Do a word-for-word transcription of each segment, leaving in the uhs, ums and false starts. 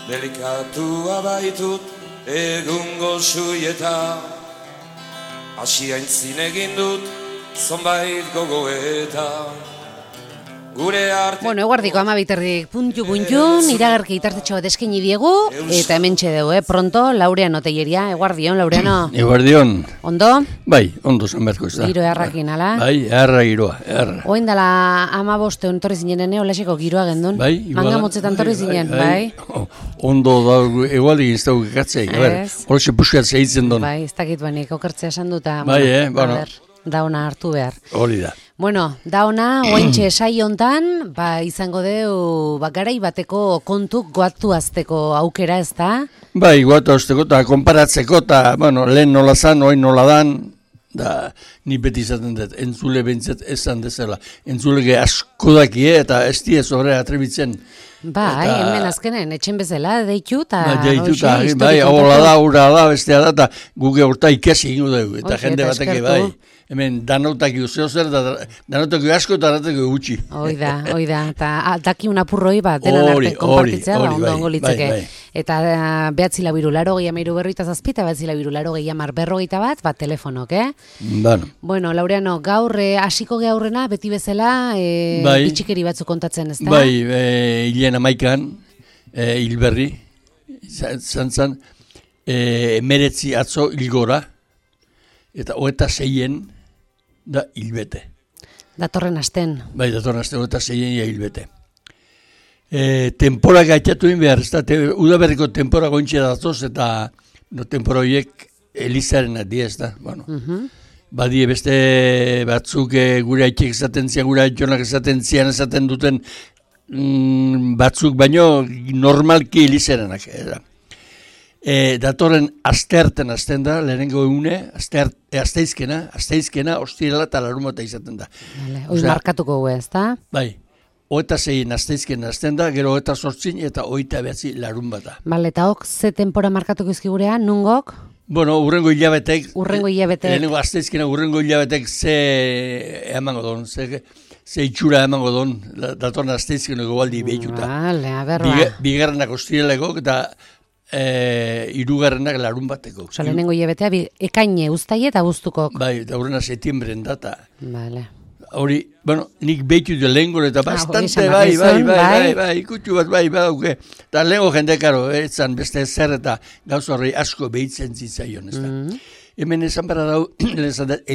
delikatua baitut egungo suieta, hasi aintzin egin dut zonbait gogoeta. Gure arte... Bueno, eguardiko ama biterdik puntu puntun, iragarki itartetxo bat eskaini diegu, eta hementxe dugu, eh? Pronto, Laureano Telleria, eguardion, Laureano. Eguardion. Ondo? Bai, ondo zanberko ez da. Giro errakin, ala? Bai, erra giroa, erra. Oin dala ama boste ontorri zinen, ene, holaseko giroa gendun? Bai, iguala. Manga motzetan torri zinen, bai? bai. bai. Ondo da, egualdi ez dago ikatzei, horretxe puskat zeitzen duen. Bai, ez dakit banik, okertzea esan duta. Bai, eh, bueno. Dauna hartu behar. Hori da. Bueno, dauna, ointxe esai hontan, ba, izango deu, ba, garai bateko kontuk goatu azteko aukera, ez da? Bai, goatu azteko eta konparatzeko, eta, bueno, lehen nola zan, oin nola dan, da, ni beti izaten dut, entzule bentzet esan dezela. Entzulege asko dakie, eta ez die sobre atrebitzen. Bai, eta... hemen azkenen, etxen bezala, deitu, eta... Ba, deitu, eta, bai, hola da, ura da, bestea da, eta guge horta ikesi ingo dugu, eta Oike, jende bateke, bai. Hemen danautak zeo zer, danautak asko eta danautak gutxi. Hoi da, hoi da, eta daki un apurroi bat, denan arte konpartitzea, ba, ondo ongo litzeke. Bai, bai. Eta behatzi labiru laro gehi amairu berroita zazpita, behatzi labiru laro gehi amar berrogeita bat, bat telefonok, eh? Bueno. Bueno, Laureano, gaur hasiko e, gehaurrena, beti bezala, e, bai. bitxikeri batzu kontatzen, ez da? Bai, e, hilen amaikan, e, hilberri, zantzan, e, emeretzi atzo hilgora, eta hoeta zeien da hilbete. Datorren asten. Bai, datorren asten, hoeta zeien ja hilbete. E, tempora gaitatu in behar, ez da, te, udaberriko tempora gointxe datoz, eta no, tempora horiek elizaren adi, ez da, bueno. Uh-huh. Badie beste batzuk e, gure haitxek esaten zian, gure haitxonak esaten zian, esaten duten mm, batzuk, baino normalki elizarenak, ez da. E, datorren astearten azten da, lehenengo egune, asteart, e, asteizkena, asteizkena, ostirela eta larumata izaten da. Hoi markatuko gu ez da? Bai, oeta zein asteizkena azten da, gero oeta sortzin eta oita behatzi larun bata. Bale, eta hok, ze tempora markatuko izkigurean, nungok? Bueno, urrengo hilabetek, urrengo hilabetek, lehenengo asteizkena urrengo hilabetek ze emango don, ze... ze itxura emango don, datorren asteizkena gobaldi behituta. Bale, aberba. Biga, bigarrenak ostireleko eta E, irugarrenak larun bateko. Osa, lehenengo hilabetea, ekaine uztaile eta guztukok. Bai, eta horrena setiembren data. Vale. Hori, bueno, nik behitu du lehengo eta bastante, ah, bai, bai, bai, bai, bai, bai, ikutxu bat, bai, bai, bai, eta lehengo jende, karo, etzan beste zer eta gauz horrei asko behitzen zitzaion, ez da. Mm-hmm. Hemen esan bara dau,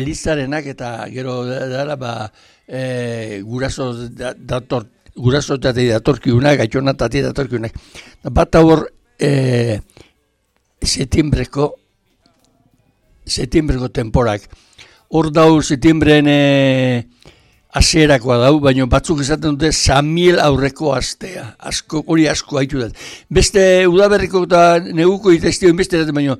Elizarenak eta gero dara, ba, e, guraso dator, guraso eta datorkiunak, gaitxona eta datorkiunak. Bat hor, E, setiembreko setiembreko temporak hor dau setiembren e, aserakoa dau, baina batzuk esaten dute Samiel aurreko astea, asko, hori asko haitu dut. Beste udaberriko eta neguko itaztioen beste dut, baina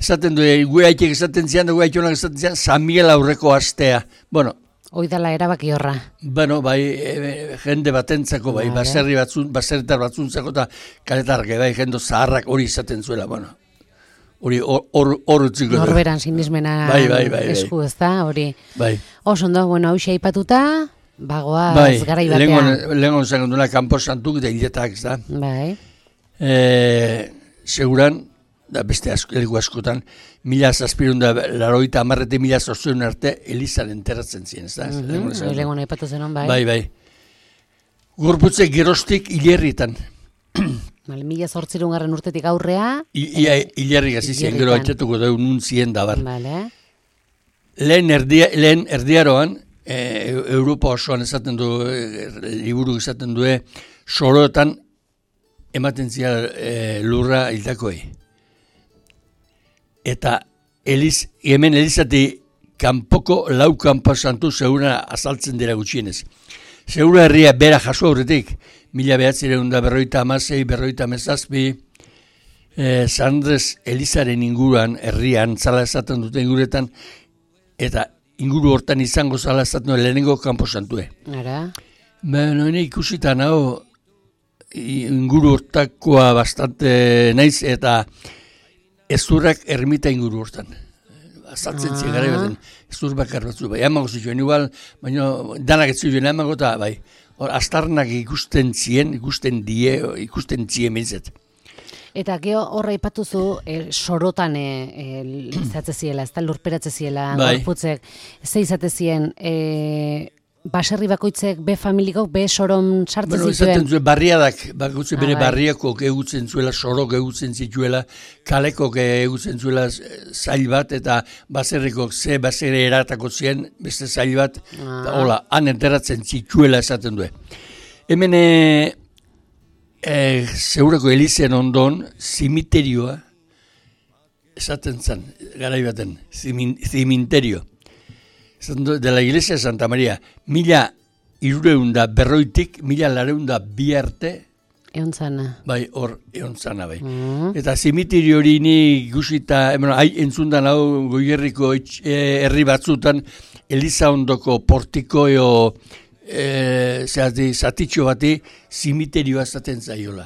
esaten dute, gue haitek esaten zian, gue haitxonak esaten zian, Samiel aurreko astea. Bueno, oidala erabaki horra. Bueno, bai, e, jende batentzako, bai, vale. baserri batzun, baserritar batzuntzako eta kaletarke, bai, jendo zaharrak hori izaten zuela, bueno. Hori hor utziko. Norberan sinismena bai, bai, bai, esku, ez da, hori. Bai. Oso ondo, bueno, hau aipatuta, bagoaz bai, garai batean. Lehenko zen duna kanpo santuk eta hiletak, ez da. Bai. E, seguran, da beste asko, elgu askotan, mila zazpirun da laroita amarrete mila zortzun arte Elizaren enterratzen ziren, ez da? Mm-hmm. Lehenko nahi patu zenon, bai. Bai, bai. Gorputze gerostik hilerritan. Vale, mila zortzirun garren urtetik aurrea. Hilerrik hasi ziren, gero atxatuko da nun zien da bar. Vale. Lehen, erdia, lehen erdiaroan, e, Europa osoan esaten du, e, liburu esaten du, soroetan ematen zia e, lurra hildakoei. Eta Eliz, hemen Elizati kanpoko lau kanpo santu zeura azaltzen dira gutxienez. Zeura herria bera jaso aurretik, mila behatzireun da berroita amasei, berroita amazazpi, eh, Sandrez Elizaren inguruan, herrian, zala esaten dute inguretan, eta inguru hortan izango zala esaten dute lehenengo kanpo santue. Ara? Bueno, ikusitan hau, inguru hortakoa bastante naiz, eta ezurrak ermita inguru hortan. Azaltzen ah. Zigara baten, ezur bakar batzu. Bai, amago zituen igual, baina danak ez zituen amago eta bai. Hor, astarnak ikusten zien, ikusten die, ikusten zien mezet. Eta geho horra ipatuzu e, sorotan izatze e, ziela, ez da lurperatze ziela, bai. Gorputzek, ze izate zien, e, baserri bakoitzek be familikok be soron sartzen bueno, zituen? Bueno, zuen barriadak, bakoitze bere ah, bai. barriakok egutzen zuela, sorok egutzen zituela, kalekok egutzen zuela zail bat, eta baserrikok ze baserri eratako zien, beste zail bat, ah. eta hola, han enteratzen zituela esaten du. Hemen, e, E, zeurako elizen ondon, zimiterioa, esaten zen, garai baten, zimin, zimiterio. De la iglesia de Santa Maria, mila irureunda berroitik, mila lareunda bi arte, egon zana. Bai, hor, egon zana, bai. Mm. Eta zimiterio hori ni guzita, bueno, hai entzundan hau goierriko herri batzutan, Eliza ondoko portiko eo, E, zehati, zatitxo bati zimiterioa zaten zaiola.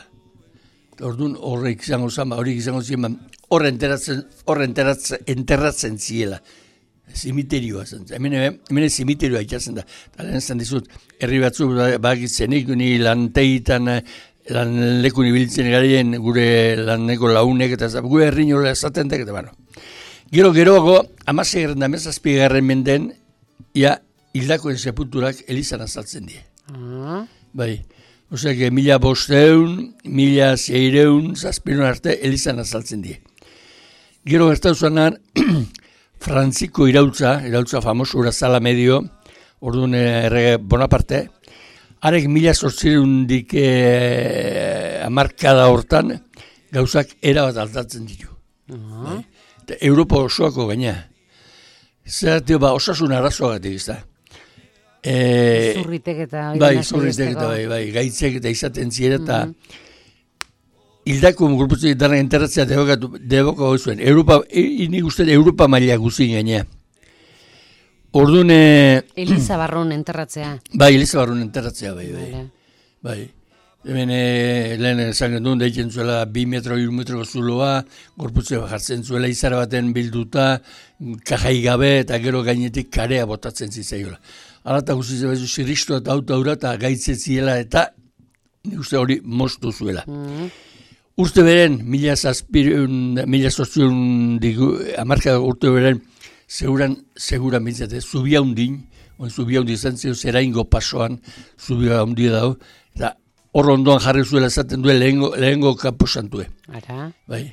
Orduan horrek izango zen, horrek izango zen, horre enteratzen, horre enteratzen, enterratzen ziela. Zimiterioa zen. Hemen, hemen zimiterioa ikatzen da. Eta lehen zen dizut, herri batzu bagitzenik, ni lantegitan, lan lekun ibiltzen garien, gure laneko launek, eta gure herri nola zaten da, eta bueno. Gero, geroago, amasei garren da mezazpi garren menden, ia, hildakoen sepulturak elizan azaltzen die. Ah. Bai. Oseak, mila bosteun, mila zeireun, zazpiron arte elizan azaltzen die. Gero gertatu zuenan, Frantziko iraultza, iraultza famoso urazala medio, orduan errege Bonaparte, harek mila zortzireundik eh, amarkada hortan, gauzak erabat aldatzen ditu. Ah. Bai. Europa osoako gaina. Zer, ba, osasun arazoagatik, ez da. E, zurritek eta bai, zurritek eta bai, bai, gaitzek eta izaten ziren eta mm -hmm. hildako gorputzek dara enterratzea deboko zuen. Europa, nik uste Europa maila guzin gainea. Orduan... Eliza Barron enterratzea. Bai, Eliza Barron enterratzea, bai, bai. Vale. Bai. Hemen e, lehen esan gendun, deitzen zuela bi metro, iru metroko zuloa, gorputzea jartzen zuela izar baten bilduta, kajai gabe eta gero gainetik karea botatzen zitzaiola. Alata guztiz bezu zirristu eta auto aura eta gaitzetziela eta nik uste hori moztu zuela. Mm. Urte beren, mila zazpireun, mila zortzireun digu, amarka urte beren, seguran, seguran bintzate, zubia hundin, on zubia hundi izan zio zeraingo pasoan, zubia hundi dago, eta hor ondoan jarri zuela esaten duen lehengo, lehengo kaposantue. Ara. Bai.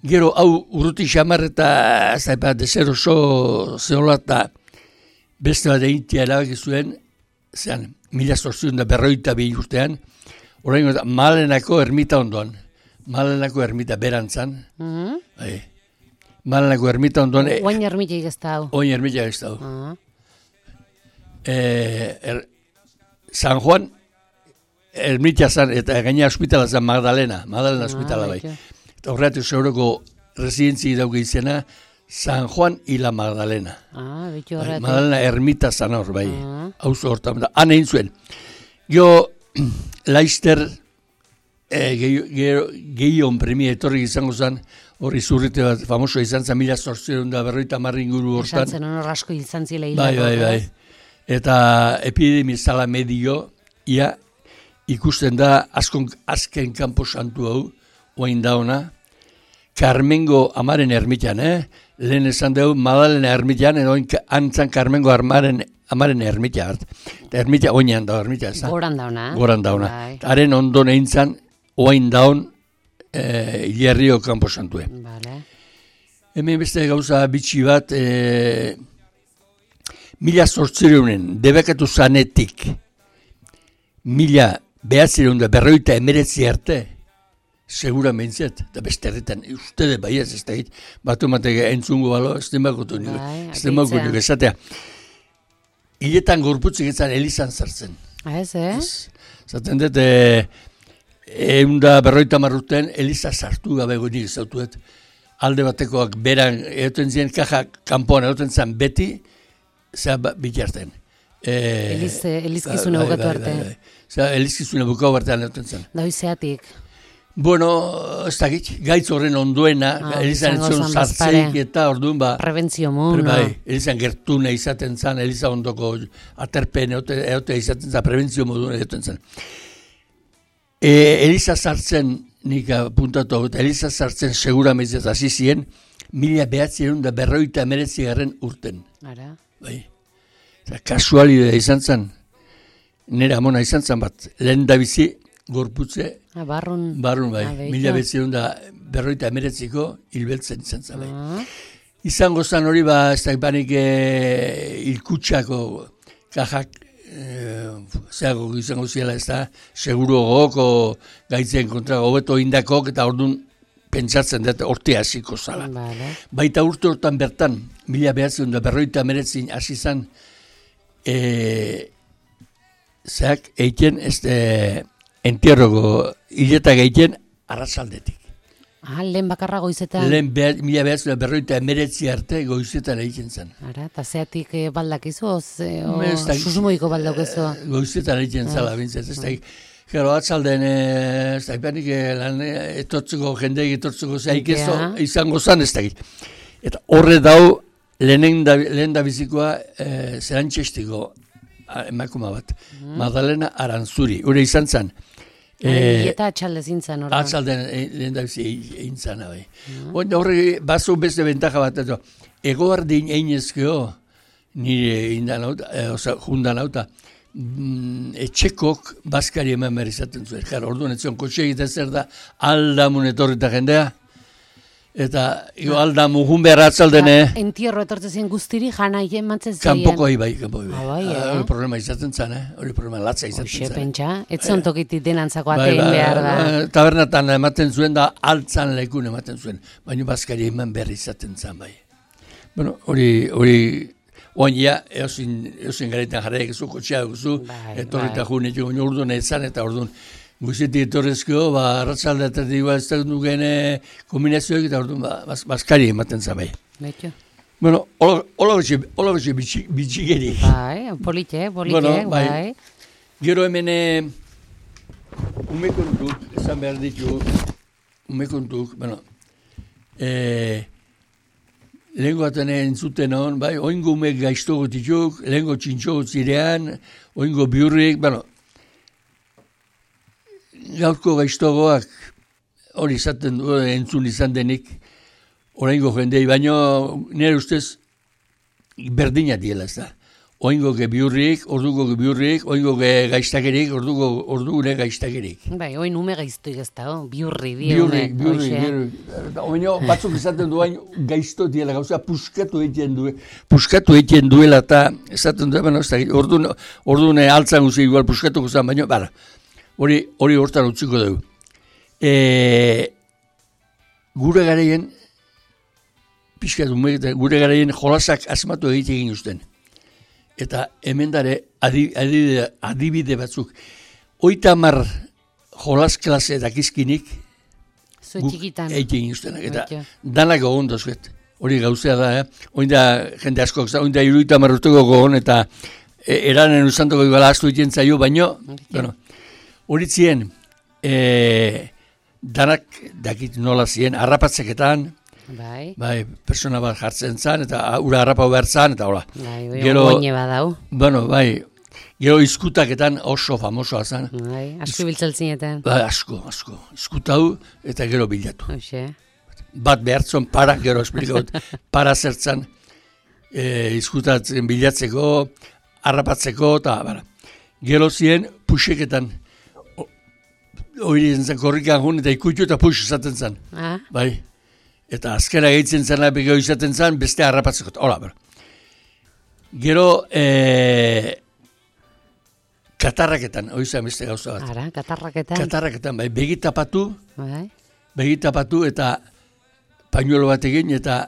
Gero, hau urruti xamar eta zaipa, dezer oso zehola eta beste bat egitea erabaki zuen, zean, mila zortzion da berroita bi urtean, orain Malenako ermita ondoan. Malenako ermita berantzan. Mm -hmm. Bai. Malenako ermita ondoan. Oain ermitek ez da hau. Oain ermitek ez da hau. Uh -huh. e, er, San Juan ermita zan, eta gaina hospitala zan Magdalena. Magdalena ah, hospitala bai. Eta horretu zeuroko residentzi dauke izena, San Juan y la Magdalena. Ah, bitu horretu. Magdalena ermita zan hor, bai. Hauzo hortan da. Han egin zuen. Gio, Laister, eh, gehion premia etorrik izango zen, hori zurrite bat, famoso izan zen, mila zortzireun da berroita marri inguru hortan. Esan zen, honor asko izan zile hilako. Bai, bai, bai. Eta epidemia zala medio, ia, ikusten da, azkon, azken kanpo santu hau, oain dauna, Carmengo amaren ermitan, eh? Lehen esan dugu, Madalena ermitan, edo antzan Carmengo amaren, amaren ermita hart. Eta ermita, oinan da, ermita, ez da? Goran dauna. Goran dauna. Haren ondon egin zan, oain daun, e, Ierrio kanpo santue. Vale. Hemen beste gauza bitxi bat, e, mila zortzireunen, debekatu zanetik, mila behatzireun da berroita emeretzi arte, segura mentzat, eta beste herretan, uste de baiaz ez da hit, batu matek entzungo balo, ez den bakotu nire, ez den bakotu nire, esatea. Hiletan gorputzik ezan elizan zartzen. Ez, eh? Zaten dut, e, eunda berroita marruten, eliza sartu gabe goinik ezautuet, alde batekoak beran, egoten ziren kaja kanpoan, egoten zen beti, zea bitarten. E, Eliz, elizkizune bukatu arte. Zea, elizkizune bukatu artean egoten zen. Doi zeatik. Bueno, ez dakit, gaitz horren onduena, ah, elizan etzion zartzeik eta orduan ba... Prebentzio mun, no? Bai, elizan gertune izaten zan, eliza ondoko aterpen eote izaten zan, prebentzio moduen egoten zan. E, eliza zartzen nik apuntatu, eta Eliza sartzen segura mezez hasi ziren, mila behatzen da berroita emeretzi garren urten. Ara. Bai. Eta kasualidea izan zen, nire amona izan zen bat, lehen da bizi, gorputze, ah, barrun, barrun bai, mila behatzen da berroita emeretziko hilbeltzen izan zen bai. Ah. Izango zen hori ba, ez da ipanik e, ilkutsako kajak, zeago izango ziela ez da, seguro goko gaitzen kontra hobeto indakok eta orduan pentsatzen dut orte hasiko zala. Vale. Baita urte hortan bertan, mila behatzen da berroita meretzin hasi zan, e, zeak eiten ez de, entierroko hiletak eiten arratsaldetik. Ah, lehen bakarra goizetan. Lehen beha, mila behatzen da berroita meretzi arte goizetan egiten zen. Ara, eta zeatik eh, baldakizu, o, o Ez da- susmoiko baldakizu. Goizetan egiten zala, bintzat, ez da. Gero, atzalden, ez da, ipanik lan etortzeko, jendeik etortzeko zaik ez Ja. izango zan, ez da. Eta horre dau, lehen da, lehen da bizikoa, e, zerantxestiko emakuma bat, Magdalena Aranzuri, hori izan zan. E, eta atxalde zintzen, hori. Atzalden e, lehen da bizi egin zana, bai. Mm. Horre, bazo beste bentaja bat, eto, egoardin einezkeo, nire indan hauta, e, oza, jundan hauta, mm, etxekok bazkari eman behar izaten zuen. Jara, orduan etzion kotxe egiten zer da, aldamun etorrita jendea, eta jo, aldamun jun behar atzaldene, Entierro etortzen zien guztiri, jana hien matzen zeien. kanpoko bai, kanpoko bai. Ah, bai, eh? Hori problema izaten zan, eh? Hori problema latza izaten Hoxe, zan. pentsa, ez zon tokitik denantzako Bai, atein bai, behar da. bai, tabernatan ematen zuen da, altzan lekun ematen zuen, baina bazkari eman behar izaten zan, bai. Bueno, hori, hori, oin ja, eosin, eosin garetan jarraik zu, kotxea duzu, Bai, etorrita bai. june, baina orduan ezan, eta orduan, guzti etorrezko, ba, arratsalde eta digua ez da dugen eh, kombinazioak, eta orduan, ba, baz, bazkari ematen zan, bai. Betxo. Bueno, hola betxe bitxigeri. Bai, polite, polite, Bueno, bai. bai. Gero hemen eh, ume kontuk, esan behar ditu, ume kontuk, bueno, eh, lehenko aten entzuten hon, bai, oingo ume gaiztogo dituk, lehenko txintxogo zirean, oingo biurrik, bueno, gaurko gaiztogoak hori izaten du, entzun izan denik, oraingo jendei, baino nire ustez berdina diela ez da. Oingo ge biurrik, orduko ge biurrik, oingo ge gaiztakerik, orduko ordugune gaiztakerik. Bai, oin ume gaiztuik ez da, oh, biurri, bi Biurrik, ume, biurrik, hoxe. biurrik. Oino, batzuk izaten du hain gaizto diela gauza, puskatu egiten du, puskatu egiten duela eta esaten du, bueno, ez da, ordune, ordune altzan guzi igual puskatuko zen, baina, bara, hori, hori hortan utziko dugu. E, gure garaien, pixkat, gure garaien jolasak asmatu egite egin usten. Eta hemen dare adibide, adibide batzuk. Oita mar jolas klase dakizkinik, Zue guk txikitan. egin ustenak. Eta Baita. danak gogon dozuet. Hori gauzea da, eh? Oin da jende askok, oin da iruita marruteko gogon, eta e, eranen usantoko iguala astu egiten zaio, baino, bueno, hori zien, e, danak dakit nola zien, harrapatzeketan, Bai, bai, persona bat jartzen zan, eta ura harrapau behar zan, eta hola. bai, bai, Gero- oine badau. Bueno, bai, gero izkutaketan oso famosoa zan. Bai, asko biltzaltzinetan. Bai, asko, asko. Izkutau eta gero bilatu. Hoxe. Bat behartzon para, gero esplikaut, para zertzan, e, izkutatzen bilatzeko, harrapatzeko, eta bara. Gero ziren puxeketan, hori zen korrikan jun, eta ikutu eta pux izaten zan. Ah, Bai. Eta azkera gehitzen zena begeo izaten zen, beste harrapatzeko. Hola, bera. Gero, e, katarraketan, hori zen beste gauza bat. ara, katarraketan. Katarraketan, bai, begitapatu, Bai, begitapatu eta pañuelo bat egin, eta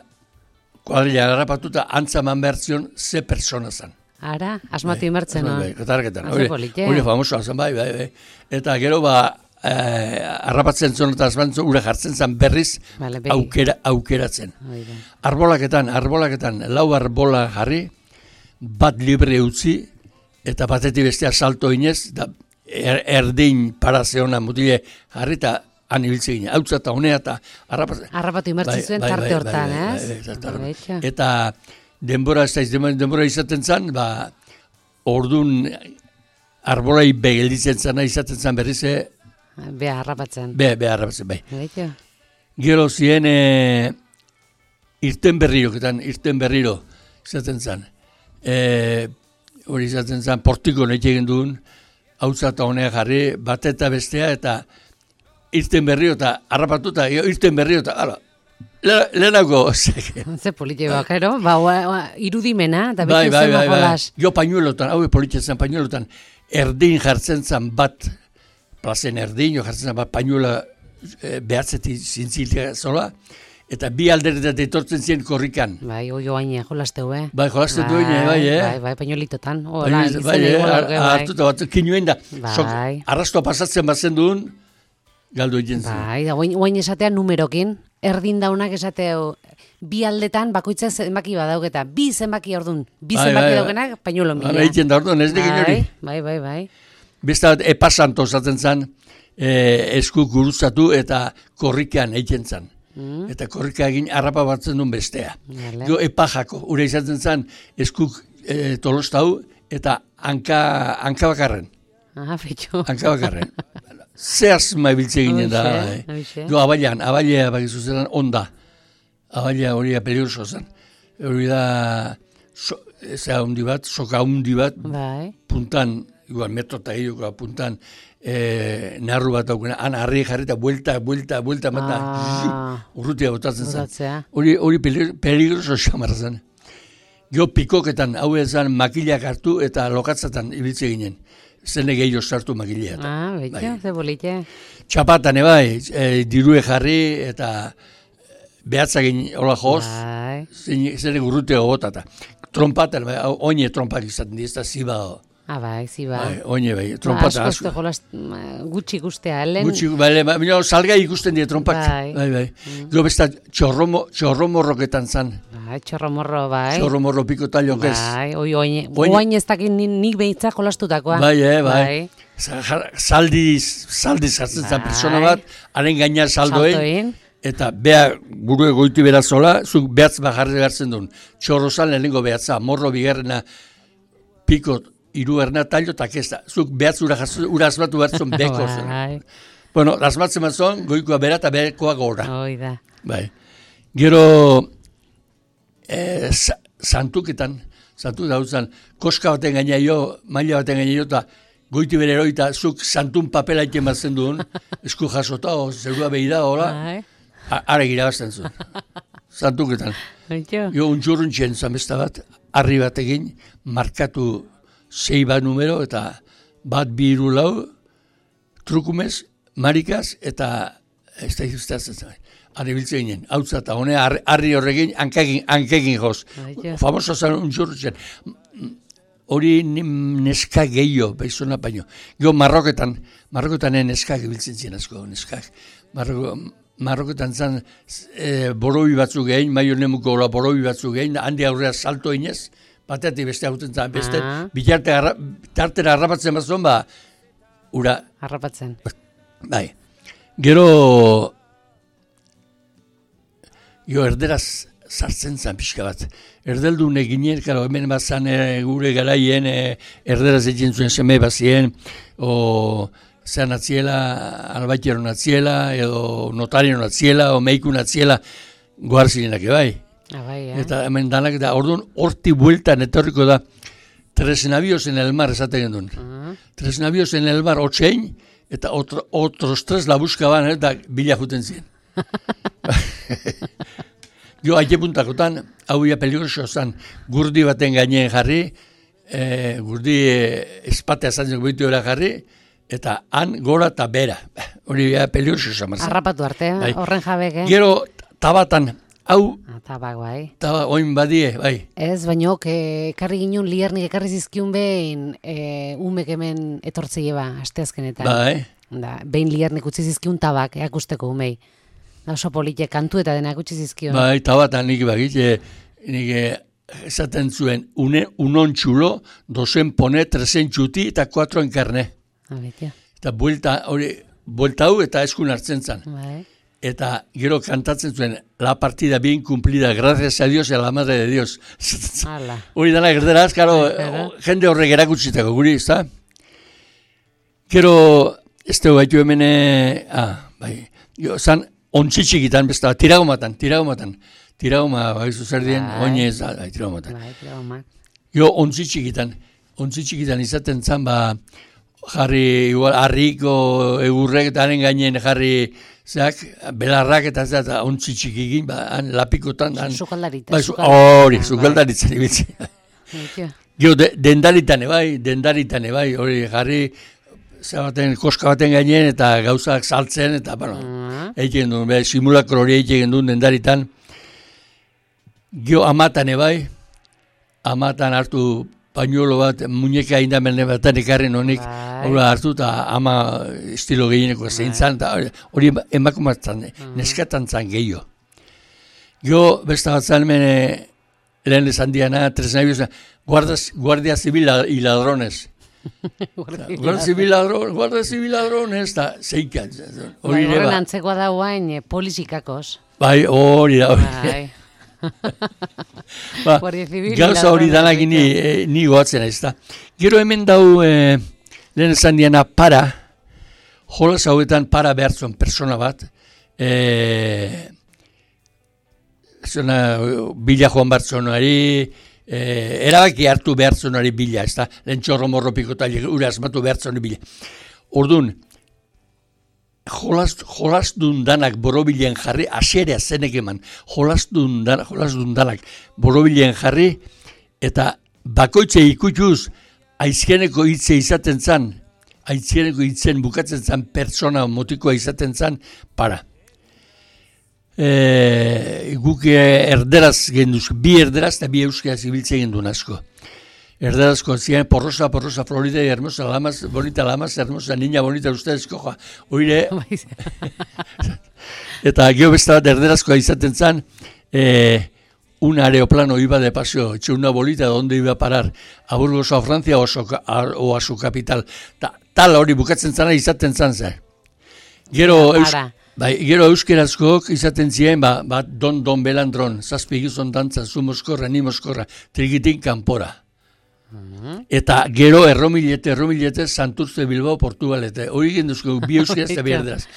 kuadrilla harrapatu eta antzaman behar zion ze persona zen. ara, asmatu inbertzen, no? Bai, katarraketan. Oso Hori, polite. hori famosoa zen, bai, bai, bai. Eta gero, ba, eh, harrapatzen zuen eta azbantzun ura jartzen zen berriz Bale, begi. aukera, aukeratzen. Hori da. Arbolaketan, arbolaketan, lau arbola jarri, bat libre utzi, eta batetik bestea salto inez, da er, erdin parazeona mutile jarri, eta han ibiltze gine, hautza eta honea, eta harrapatzen. Harrapatu inbertzen zuen tarte hortan, ez? bai, bai, bai, Betxo. eta denbora, ez da, denbora izaten zen, ba, ordun arbolai begelditzen zena izaten zen berriz, Bea harrapatzen. Be, be harrapatzen, bai. Beito. Gero ziren e, irten berriroketan, irten berriro izaten zen. E, hori izaten zen, portiko nahi egin duen, hautza eta honea jarri, bat eta bestea, eta irten berrio eta harrapatu eta irten berrio eta, ala, lehenako. Ze politxe bakero, ba, irudimena, eta bai, betu bai, zen bai, bajolas. bai. Jo pañuelotan, hau politxe zen pañuelotan, erdin jartzen zen bat, plazen erdin, jo jartzen zen bat pañuela e, behatzetik zintziltea zola, eta bi alderetat etortzen ziren korrikan. Bai, oi oaine, jolasteu, eh? Bai, jolasteu bai, bai, bai, eh? Bai, bai, pañolitotan. Hola, bai, bai, eh? Hartuta bat, kinuen da. Bai. Sok, arrastoa pasatzen bazen duen, galdu egin zen. Bai, da, oain esatea numerokin, erdin daunak esateo, bi aldetan bakoitza zenbaki badauketa, bi zenbaki ordun, bi bai, zenbaki bai, daukenak, pañuelo mila. Bai, egiten da orduan, ez dikin hori. Bai, bai, bai. Besta bat, epasanto zaten zen, e, esku guruzatu eta korrikan egiten zen. Mm. Eta korrika egin harrapa batzen duen bestea. Gero epajako, ure izaten zen, eskuk e, tolostau eta hanka, hanka bakarren. Ah, fetxo. Hanka bakarren. Zehaz maibiltze ginen da. Gero abailan, abailea bakizu zelan onda. Abailea hori peligroso zen. Hori da, so, eza hundi bat, soka hundi bat, bai. Puntan, igual metro eta hiriko puntan, e, narru bat daukena, han harri jarri eta buelta, buelta, buelta, mata, ah. urrutia botatzen zen. Hori, hori peligroso xamarra zen. Gero pikoketan, hau ezan makilak hartu eta lokatzatan ibiltze ginen. Zene gehiago sartu makilea. Ah, betxo, ze bolite. Txapatan, bai, e, dirue jarri eta behatzak egin hola joz, bai. Zene urrutia gotata. Trompaten, bai, oine trompak izaten di, ez da ziba. Ah, bai, ziba. Bai, oine, bai, trompata. Ba, asko jolaz, gutxi ikustea, helen. Gutxi, bai, bai, bai, salgai ikusten die trompak. Bai, bai. bai. Mm. Gero besta txorromo, txorromorroketan zan. Bai, txorromorro, bai. Txorromorro piko talion ez. Bai, oi, oine, oine ez dakit nik behitzak jolastutakoa. Bai, eh, bai. bai. Zaldiz, zaldiz hartzen bai. Zan persona bat, haren gaina saldoen. Saldoen. Eta beha gure goiti berazola, zuk behatz bajarri gartzen duen. Txorro zan lehenengo behatza, morro bigarrena piko hiru erna tallo eta kesta. Zuk behatz ura, ura asmatu bertzen beko zen. Bueno, asmatzen bat zon, goikoa bera eta bekoa gora. Hoi da. Bai. Gero, eh, santuketan, santuk dautzen, koska baten gaina jo, maila baten gaina jo, eta goiti bere eroita, zuk santun papela iten bat zen duen, esku jasota, o, zerua behi da, hola. Ara girabazten zuen. Santuketan. Jo, untxurrun txen zamesta bat, harri bat egin, markatu sei bat numero, eta bat bi hiru lau, trukumez, marikaz, eta ez da izuztatzen zen. Harri biltzen ginen, hau zata, honea harri horrekin, hankegin joz. Famoso zen untxurrun txen. Hori neska gehiago, behizona baino. Gio, marroketan, marroketan neskak biltzen zien asko, neskak. Marroko, Marroketan zan e, borobi batzuk gehin, maio nemuko hola borobi batzuk gehin, handi aurrea salto inez, bateatik beste hauten zan, beste, ah. bitarte harra, tartera harrapatzen bat zuen, ba, ura. Harrapatzen. Bai. Gero, jo, erderaz sartzen zan pixka bat. Erdeldu neginen, karo, hemen bat zan e, gure garaien, e, erderaz egin zuen seme bat zien, o... zean atziela, albaiteron atziela, edo notarien atziela, o meikun atziela, goar zirenak bai. Ah, bai, eh? Eta hemen danak, eta orduan, horti bueltan etorriko da, tres navios en el mar, esaten gendun. Uh -huh. Tres navios en el mar, otxein, eta otro, otros tres la buskaban, eta bila juten ziren. Jo, haike puntakotan, hau ia peligroso zan, gurdi baten gaineen jarri, eh, gurdi eh, espatea zantzeko behitu era jarri, eta han gora eta bera. Hori beha peligroso zamarzen. Harrapatu arte, bai. Horren jabek, eh? Gero tabatan, hau... Tabak, bai. Taba, oin badie, bai. Ez, baino, ekarri ginen liarnik ekarri zizkiun behin e, umek hemen etortzei eba, asteazkenetan. Bai. Da, behin liarnik utzi zizkiun tabak, eakusteko umei. Da, oso polite, kantu eta denak utzi zizkiun. Bai, tabatan nik bagit, e, nik esaten zuen, une, unon txulo, dozen pone, tresen txuti eta kuatroen karne. Eta buelta, hori, buelta hau eta eskun hartzen zen. Bai. Eta gero kantatzen zuen, la partida bien cumplida, gracias a Dios y a la madre de Dios. Hori dana gerderaz, karo, jende horrek erakutsitako guri, ez da? Gero, ez dugu baitu hemen, ah, bai, jo, zan, ontsitxikitan, besta, tiragomatan, tiragomatan, tiragoma, bai, zuzerdien, oinez, bai, tiragomatan. Bai, tiragoma. Jo, ontsitxikitan, ontsitxikitan izaten zan, ba, jarri, igual, harriko egurrek eta haren gainen jarri, zeak, belarrak eta ez da, ontsitxikigin, ba, han, lapikotan, han. Sukaldarita. Bai, hori, sukaldaritzan ibitzi. Jo, dendaritan bai, dendaritan bai, hori jarri, zabaten, koska baten gainen, eta gauzak saltzen, eta, bueno, uh-huh. egiten duen, bai, simulakro hori egiten duen dendaritan. Gio, amatan bai, amatan hartu pañuelo bat, muñeka indamen batan ekarren honik, hori hartu, eta ama estilo gehieneko zein zan, eta hori emakumatzen, uh-huh. neskatan zan gehiago. Gio, besta bat zan, mene, lehen esan diana, tres nabios, guardia civil y ladrones. Guardia civil ladrones, guardia civil ladrones, eta zeikan. Bai, horren antzekoa da guain, polisikakos. Bai, hori da, hori. Ba, gauza hori danak ni, eh, ni goatzen ez da. Gero hemen dau, eh, lehen esan diana, para, jolas hauetan para behartzen persona bat, eh, zona, bila joan bartzonari, eh, erabaki hartu behartzonari bila, ez da, lehen txorro morro pikota, ura asmatu behartzonari bila. Orduan, jolastun danak borobilen jarri, aserea zenek eman, jolastun danak, jolastun danak borobilen jarri, eta bakoitze ikutuz, aizkeneko hitze izaten zan, aizkeneko hitzen bukatzen zan, pertsona motikoa izaten zan, para. E, guk erderaz genduz, bi erderaz eta bi euskaraz ibiltzen gendun asko. Erderazko ziren, porrosa, porrosa, florida, hermosa, lamas, bonita, lamas, hermosa, niña, bonita, ustez, koja, oire. Eta geho besta bat erderazkoa izaten zan, eh, un aeroplano iba de paseo, etxe una bolita, donde iba a parar, a Burgos, a Francia, o a su, a, o a su capital. Ta, tal hori bukatzen zana izaten zan zen. Gero, eus, bai, gero euskerazkoak izaten ziren, ba, ba, don, don belandron, zazpi gizon dantza, zu moskorra, ni moskorra, trigitin kanpora. Uh-huh. Eta gero erromilete, erromilete, Santurce, Bilbao, Portugalete. Hori genduzko, bi euskeraz eta bi erderaz.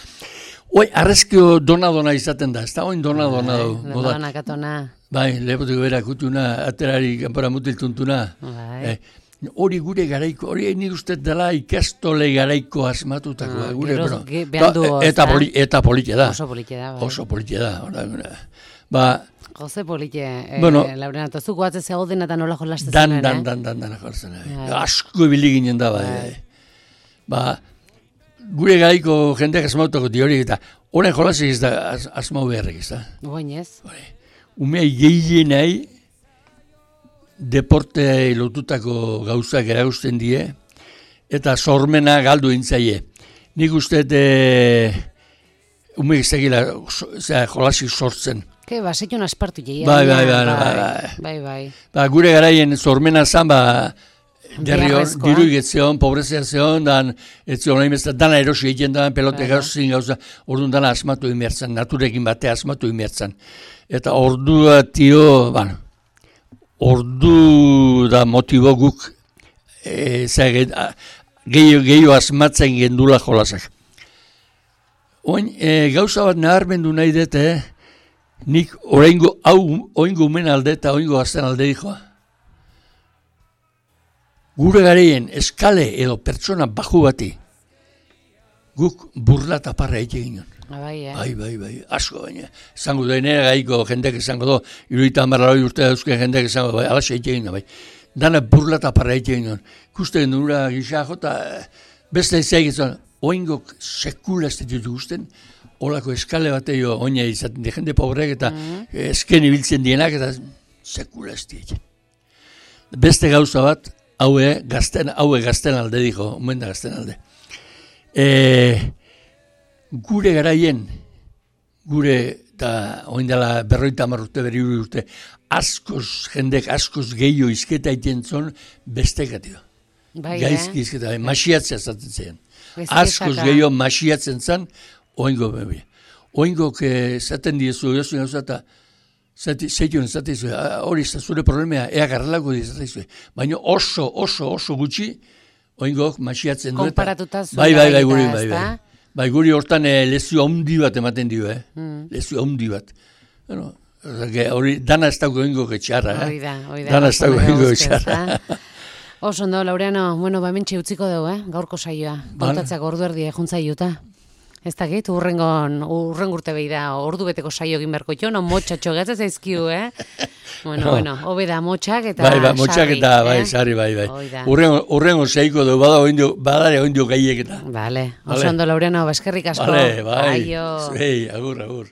Oi, arrezkio dona-dona izaten da, ez da oin dona-dona du. Dona-dona katona. Bai, lepotiko bera kutuna, aterari kanpora mutiltuntuna. Bai. Eh, hori gure garaiko, hori nik uste dela ikastole garaiko asmatutakoa. Ah, gure, gero, bueno, behandu ta, eta, poli, eta politia da. Oso politia da. Bai. Oso politia da. Ora, ba, Jose politie, eh, bueno, Laurena, eta zuko batze zegoen eta nola jolasten dan, zen, dan, dan, dan, dan, jolasten zen. Asko ibili ginen da, bai. Ba, gure garaiko jendeak asmautako hori eta horren jolasik ez da as, asmau beharrik ez da. Goinez. Umea gehienai deporte lotutako gauzak eragusten die eta sormena galdu intzaie. Nik uste e, umeek zegila jolasik sortzen. Ke, ba, zeion aspartu jeia. Bai, bai, bai, bai, bai, bai. Ba, gure garaien sormena zan, ba, derri hor, diru igetzeon, pobrezea zeon, dan, etzion, nahi bezala, dana erosi egiten da, pelote gauzin gauza, orduan dana asmatu imertzen, naturekin batea asmatu imertzen. Eta ordua tio, bueno, ordu da motibo guk, e, gehiago asmatzen gendula jolasak. Oin, e, gauza bat naharmendu nahi dute, nik oraingo hau oingo umen alde eta oingo gazten alde dijoa. Gure gareien eskale edo pertsona baju bati guk burla eta parra egite ginen. Bai, eh? Bai, bai, bai, asko baina. Zango da, nire gaiko jendek izango do, iruita amarra urte dauzke jendek izango do, bai, alaxe egite ginen, bai. Dana burla eta parra egite ginen. Kusten nura gisa jota, beste izan egiten, oingok sekula ez ditu guzten, olako eskale bateio oina izaten di jende pobrek eta mm-hmm. esken ibiltzen dienak eta sekula ez ditu. Beste gauza bat, haue gazten, haue gazten alde diko, omen da gazten alde. E, gure garaien, gure, eta oin dela berroita hamar urte, berri urte, askoz, jendek askoz gehiago izketa iten zon bestekatio. Bai, Gaizki eh? izketa, masiatzea zaten zen. Askoz gehiago masiatzen zen, oingo bebe. Oingok zaten diezu, jozu gauza eta zeition zaten hori ez zure problemea, ea garrelako dizateizu. Baina oso, oso, oso gutxi, oingok, masiatzen du. Konparatuta zuen. Bai, bai, bai, guri, bai, bai. Bai, guri hortan eh, lezio handi bat ematen dio, eh? Mm. Lezio handi bat. Bueno, hori, dana ez dago oingok etxarra, eh? Hori da, hori da. Dana ez dago oingok etxarra. Oso ondo, Laureano, bueno, ba mentxe utziko dugu, eh? Gaurko saioa. Kontatzeak ordu erdia juntza juta. Ez dakit, urrengon, urren urte behi da, ordu beteko saio egin berko jo, no motxatxo gatza zaizkiu, eh? Bueno, no. Bueno, hobe da motxak eta bai, bai, motxak eta, bai, eh? Sarri, bai, bai. Urrengo, urrengo zeiko du, bada oindio, badare oindio gaiek eta. Vale, oso ondo, Laureano, baskerrik asko. Vale, bai, zuei, agur, agur.